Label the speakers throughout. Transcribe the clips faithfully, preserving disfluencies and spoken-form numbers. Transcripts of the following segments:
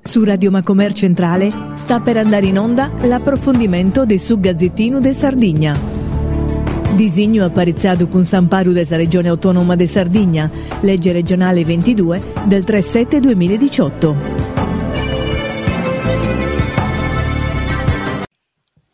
Speaker 1: Su Radio Macomer Centrale sta per andare in onda l'approfondimento de su Gazzettinu de Sardigna. Disignu aparitzadu cun s'amparu de sa Regione Autonoma de Sardigna, legge regionale ventidue del tre sette duemiladiciotto.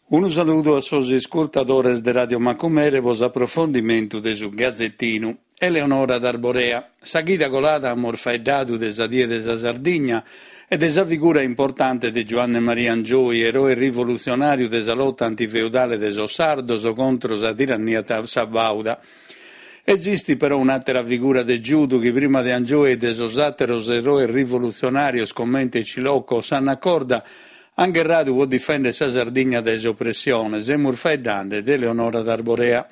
Speaker 2: Unu saludu a sos iscurtadores de Radio Macumere pro s'aprofondimentu de su Gazettinu. Eleonora d'Arborea. Sa chida colada amus faeddadu de sa Die de sa Sardigna e de sa figura importante de Giuanne Maria Angioy, eroe rivolutzionàriu de sa lota antifeudale de sos sardos contro sa tirannia sabauda. Esistit però un'àtera figura de giudu chi prima de Angioy e de sos àteros eroes rivolutzionàrios comente Cilocco o Sanna Corda an gherradu pro difèndere sa Sardigna dae s'opressione. Semus faeddende de Eleonora d'Arborea.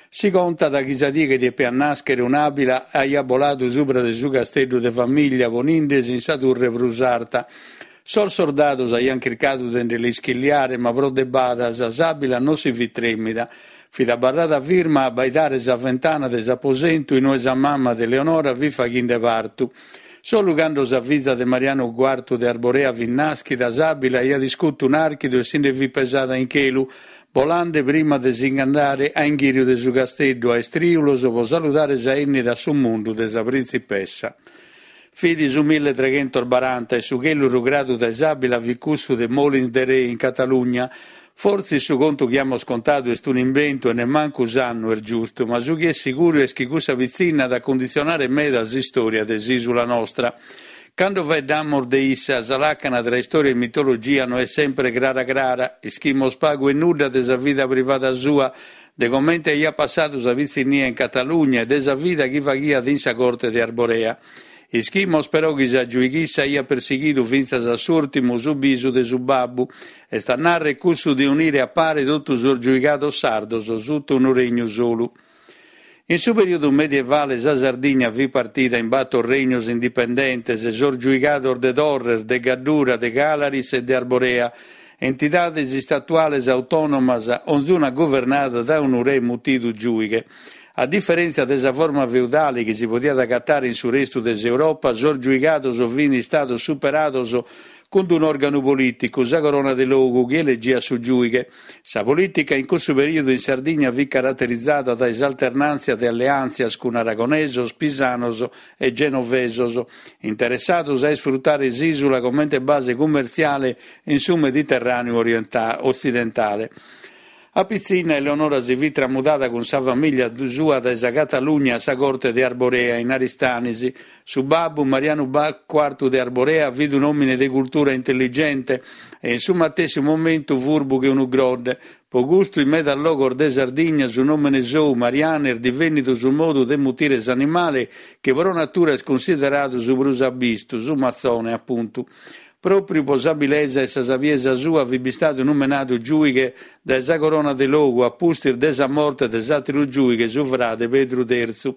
Speaker 2: Si contat chi sa die chi depiat nàschere un'àbila aiat boladu subra de su casteddu de famìllia ponindesi in sa turre prus arta. Sos sordados aiant chircadu de nde l'ischilliare, ma pro de badas s'àbila non si fit trèmida. Fit abarrada firma a abbaidare sa ventana de s'aposentu in ue sa mama de Eleonora fit faghende partu. Solu cando sa fiza de Marianu Cuartu de Arborea fit nàschida, s'àbila aiat iscutu un'àrchidu e si nde fit pesada in chelu, bolande prima de si nch'andare a inghìriu de su casteddu a istrìulos pro saludare sa 'ennida a su mundu de sa printzipessa. Fit su milletreghentos baranta e su chelu rugradu dae s'àbila fit cussu de Molins de Rei in Catalugna. Fortzis su contu chi amus contadu est un'imbentu e nemmancu s'annu est giustu, ma su chi est siguru est chi cussa pitzinna at a cunditzionare meda s'istòria de s'ìsula nostra. Cando faeddamus de issa, sa làcana tra istòria e mitologia no est sempre crara crara. Ischimus pagu e nudda de sa vida privada sua, de comente aiat passadu sa pitzinnia in Catalugna e de sa vida chi faghiat in sa corte de Arborea. Ischimus però chi sa giuighissa aiat persighidu fintzas a s'ùrtimu su bisu de su babbu, est a nàrrere cussu de unire a pare totu sos giuigados sardos suta unu regnu solu. In su perìodu medievale sa Sardigna fit partida in bator regnos indipendentes, sos giuigados de Torres, de Gaddura, de Càlaris e de Arborea, entidades istatuales autònomas, onzuna guvernada dae unu re mutidu giùighe. A diferèntzia de sa forma feudale chi si podiat agatare in su restu de s'Europa, sos giuigados fin istados superados cun un'òrganu polìticu, sa Corona de Logu, chi elegiat su giùighe. Sa polìtica in cussu perìodu in Sardigna fit caraterizada dae s'alternàntzia de alleàntzias cun aragonesos, pisanos e genovesos, interessados a isfrutare s'ìsula comente base cummertziale in su Mediterràneu otzidentale. A pitzinna Eleonora si fit tramudada cun sa famìllia sua dae sa Catalugna a sa corte de Arborea, in Aristanis. Su babbu, Marianu Cuartu de Arborea, fit un'òmine de cultura intelligente e in su matessi momentu furbu che unu grodde. Pro custu in medas logos de Sardigna su nòmene sou, Marianu, est divènnidu su modu de mutire s'animale chi pro natura est cunsideradu su prus abbistu, su matzone, apuntu. Pròpriu pro s'abilesa e sa sabiesa sua fit bistadu numenadu giùighe dae sa Corona de Logu a pustis de sa morte de s'àteru giùighe, su frade Pedru Tertzu.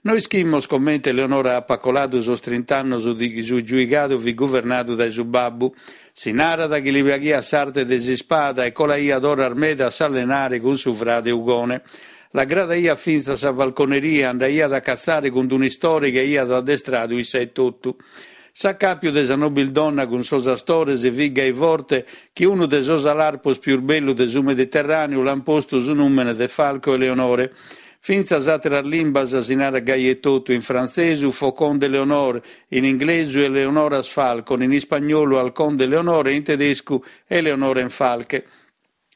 Speaker 2: No ischimus comente Eleonora apat coladu sos trint'annos chi su giuigadu fit guvernadu dae su babbu. Si narat chi li piaghiat s'arte de s'ispada e colaiat oras meda a s'allenare cun su frade Ugone. L'agradaiat fintzas sa falconeria e andaiat a catzare cun un'istore chi aiat addestradu issa etotu. S'acàpiu de sa nobildonna cun sos astores fit gai forte chi unu de sos alarpos pius bellu de su Mediterràneu l'an postu su nùmene de Falco Eleonore. Fintzas àteras limbas si narat gai etotu, in frantzesu Faucon d'Éléonore, in inglesu Eleonora's Falcon, in ispagnolu Halcón de Leonor e in tedescu Eleonorenfalke.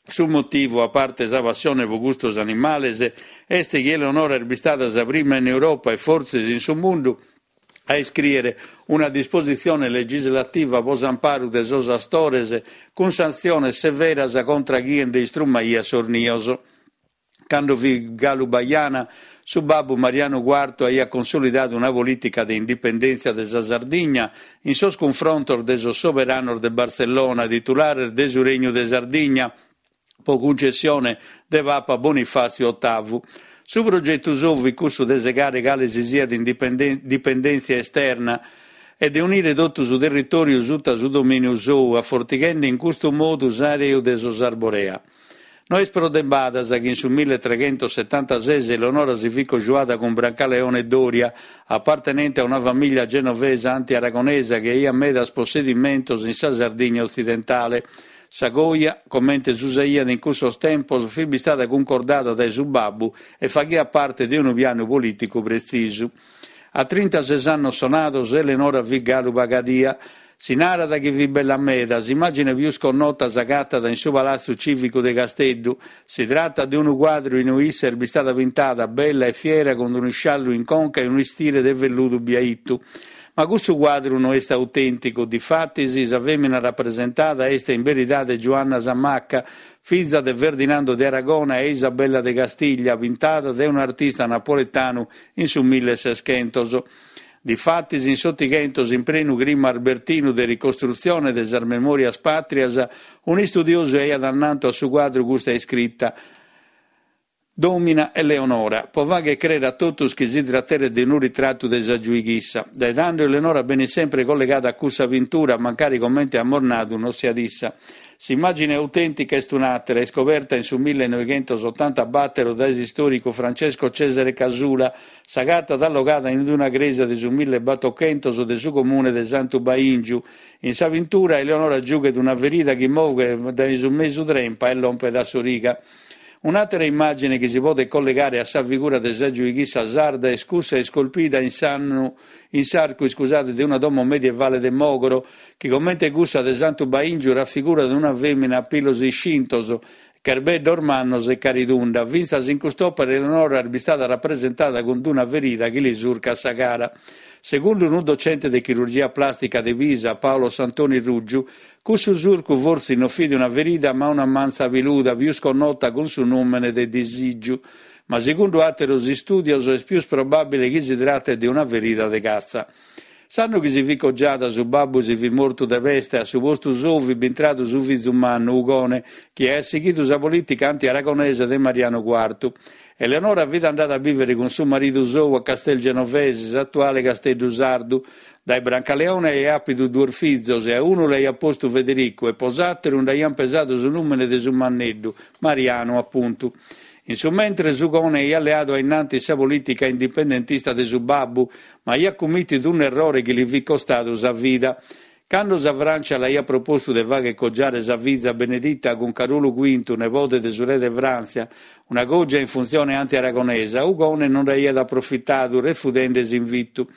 Speaker 2: Su motivu, a parte sa passione pro custos animales, est chi Eleonora est bistada sa prima in Europa e fortzis in su mundu a iscrìere una dispositzione legislativa pro s'amparu de sos astores cun santziones severas contra chie nde istrumaiat sos nios. Cando fit galu bajana, su babbu Marianu Cuartu aiat consolidadu una polìtica de indipendèntzia de sa Sardigna in sos cunfrontos de sos soberanos de Bartzellona, titulares de su Regnu de Sardigna, pro cuncessione de Papa Bonifàtziu Otavu. Su progetu sou fit cussu de segare cale si siat dipendèntzia esterna e de unire totu su territòriu suta su domìniu sou, afortighende in custu modu s'areu de sos Arborea. No est pro de badas chi in su milletreghentosetantases Eleonora si fit cojuada cun Brancaleone Doria, apartenente a una famìllia genovesa anti-aragonesa chi aiat medas possedimentos in sa Sardigna otzidentale. Sa coja, comente s'usaiat in cussos tempos, fit bistada cuncordada dae su babbu e faghiat parte de unu pianu polìticu pretzisu. A trintases annos sonados, Eleonora fit galu pagadia. Si narat chi fit bella meda, s'immàgine pius connota s'agatat in su Palatzu Cìvicu de Casteddu. Si tratat de unu cuadru in ue issa est bistada pintada bella e fiera cun unu isciallu in conca e unu istire de velludu biaitu. Ma cussu cuadru no est autènticu, difatis sa fèmina rapresentada est in beridade Giuanna sa Macca, fiza de Ferdinando de Aragona e Isabella de Castiglia, pintada dae un'artista napoletanu in su milleseschentos. Difatis in s'Otighentos, in prenu clima albertinu de ricostrutzione de sas memòrias pàtrias, un'istudiosu aiat annantu a su cuadru custa iscrita, Domina Eleonora, pro fagher crèere a totus chi si trateret de unu ritratu de sa giuighissa. Dae tando Eleonora benit sempre collegada a cussa pintura, mancari comente amus nadu non siat issa. S'immàgine autèntica est un'àtera, iscoberta in su millenoighentosotantabàtero dae s'istòricu Francesco Cesare Casula, s'agatat allogada in una crèsia de su millebatochentos de su comune de Santu Baìngiu. In sa pintura Eleonora giughet una ferida chi movet dae su mesu trempa e lompet a s'origa. Un'àtera immàgine chi si podet collegare a sa figura de sa giuighissa sarda est cussa iscolpida in s'annu in s'arcu iscusade de una domo medievale de Mògoro, chi comente cussa de Santu Baìngiu rafigurat una fèmina a pilos iscintos, cherbeddos mannos e caridunda. Fintzas in cust'òpera Eleonora est bistada rapresentada cun una ferida chi li surcat sa cara. Segundu unu docente de chirurgia plàstica de Pisa, Paolo Santoni Ruggiu, cussu surcu fortzis non fit una ferida ma una mantza piluda, pius connota cun su nùmene de disìgiu. Ma segundu àteros istùdios est pius probàbile chi si tratet de una ferida de catza. S'annu chi si fit cogiada su babbu si fit mortu de peste e a su postu sou fit bintradu su fizu mannu, Ugone, chi aiat sighidu sa polìtica anti-aragonesa de Marianu Cuartu. Eleonora fit andada a bìvere cun su maridu sou a Castel Genovese, s'atuale Casteddu Sardu. Dae Brancaleone aiat àpidu duos fizos e a unu l'aiat postu Federicu e pro s'àteru nd'aiant pesadu su nùmene de su manneddu, Marianu apuntu. In su mentres Ugone aiat leadu a innantis sa polìtica indipendentista de su babbu, ma aiat cummìtidu un'errore chi li fit costadu sa vida. Cando sa Frància l'aiat propostu de fagher cogiare sa fiza Benedita cun Carulu Cuintu, nebode de su re de Fràntzia, una cògia in funtzione anti-aragonesa, Ugone non nd'aiat aprofitadu, refudende s'invitu.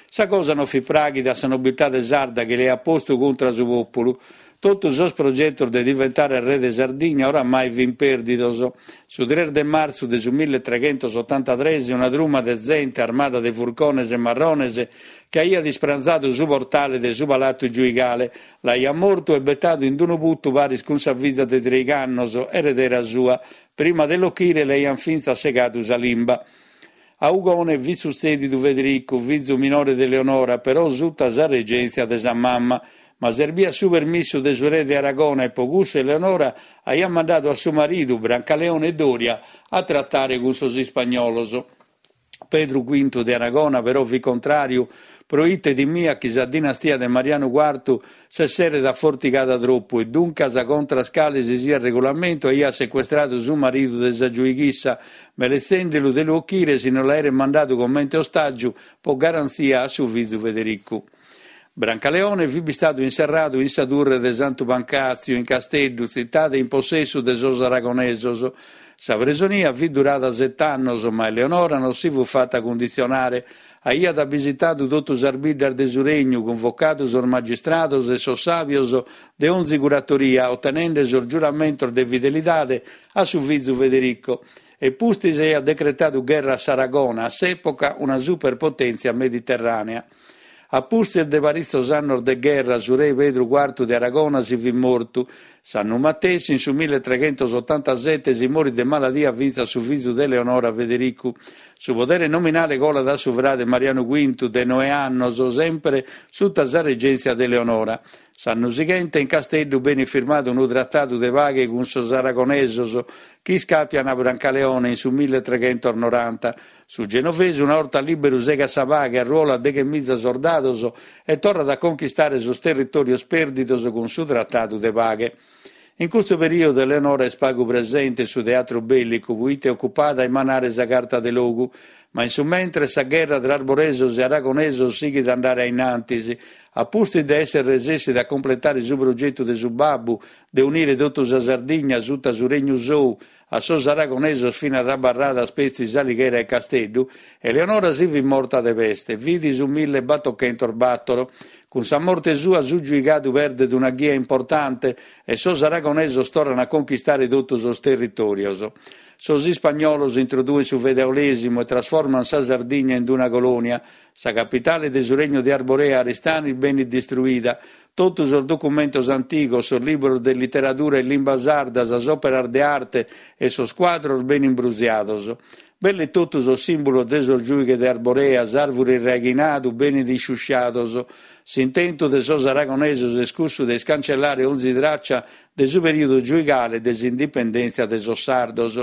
Speaker 2: Sa cosa non fit pràghida a sa nobiltade sarda chi l'aiat postu contra su pòpulu. Totu sos progetos de diventare re de Sardigna oramai fin pèrdidos. Su tres de martzu de su milletreghentosotantatres una truma de zente armada de furcones e marrones che aiat ispranzadu su portale de su palatu giuigale, l'aiat mortu e betadu in unu putu paris cun sa fiza de treigh'annos, eredera sua. Prima de l'ochire l'aiant fintzas segadu sa limba. A Ugone fit sutzèdidu Federicu, fizu minore de Eleonora, però suta sa regèntzia de sa mama. Ma serbiat su permissu de su re de Aragona e pro cussu Eleonora aiat mandadu a su maridu, Brancaleone Doria, a tratare cun sos ispagnolos. Pedru Cuintu de Aragona però fit contràriu, pro ite timiat chi sa dinastia de Marianu Cuartu s'esseret afortigada tropu e duncas contras cale si siat regulamentu aiat secuestradu su maridu de sa giuighissa, meletzende·lu de lu ochire si no l'aeret mandadu comente ostàgiu pro garantzia a su fizu Federicu. Brancaleone fit bistadu inserradu in sa turre de Santu Pancàtziu in Casteddu, tzitade in possessu de sos aragonesos. Sa presonia fit durada sete annos, ma Eleonora non si fut fata cunditzionare. Aiat abisitadu totu sas biddas de su regnu, cunvocadu sos magistrados e sos sàbios de onzi curatoria, otenende sos giuramentos de fidelidade a su fizu Federico. E pustis aiat decretadu gherra a s'Aragona, a s'època una superpotèntzia mediterrànea. A pustis de paritzos annos de gherra, su re Pedru Cuartu de Aragona si fit mortu. S'annu matessi, in su milletreghentosotantasete, si morit de maladia fintzas su fizu de Eleonora Federicu. Su podere nominale colat a su frade Marianu Cuintu, de noe annos, sempre suta sa regèntzia de Eleonora. S'annu sighente, in Casteddu, benit firmadu unu tratadu de paghe cun sos aragonesos, chi iscàpian a Brancaleone in su milletreghentos noranta. Su genovesu, una 'orta lìberu, segat sa paghe, arruolat deghemiza sordados e torrat a conchistare sos territòrios pèrdidos cun su tratadu de paghe. In custu perìodu Eleonora est pagu presente in su teatru bèllicu, proite ocupada a imanare sa Carta de Logu. Ma in su mentres sa gherra tra arboresos e aragonesos sighit a andare a in antis. A pustis de èssere resessida a completare su progetu de su babbu de unire totu sa Sardigna suta su regnu sou, a sos aragonesos finas abarradas petzi S'Alighera e Casteddu, Eleonora si fit morta de peste, fit su mille batochentos bàtoro. Cun sa morte sua su giuigadu perdet una ghia importante e sos aragonesos torran a conchistare totu sos territòrios. Sos ispagnolos introduen su feudalèsimu e trasforman sa Sardigna in una colònia. Sa capitale de su Regnu de Arborea, Aristanis, benit distruida. Totu sos documentos antigos, sos libros de literadura in limba sarda, sas òperas de arte e sos cuadros benin brusiados. Belle totu sos sìmbulos de sos giùighes de Arborea, s'àrvure irraighinadu, benint isciusciados. S'intentu de sos aragonesos est cussu de iscancellare onzi tràcia de su perìodu giuigale de s'indipendèntzia de sos sardos.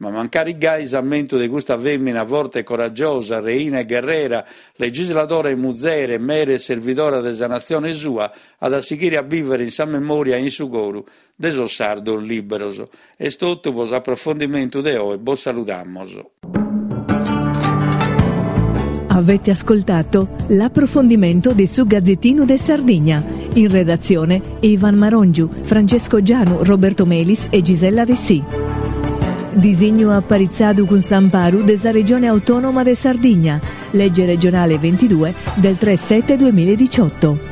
Speaker 2: Ma mancari gai s'ammentu de custa fèmina forte e coragiosa, reina e gherrera, legisladora e muzere, mere e servidora de sa natzione sua, at a sighire a bìvere in sa memòria e in su coru de sos sardos lìberos. Est totu pro s'aprofondimentu de oe, bos saludamos.
Speaker 1: Avete ascoltato l'approfondimento di su Gazzettino de Sardigna. In redazione Ivan Marongiu, Francesco Gianu, Roberto Melis e Gisella Dessì. Disignu aparitzadu cun s'amparu de sa Regione Autonoma de Sardigna, legge regionale ventidue del tre sette duemiladiciotto.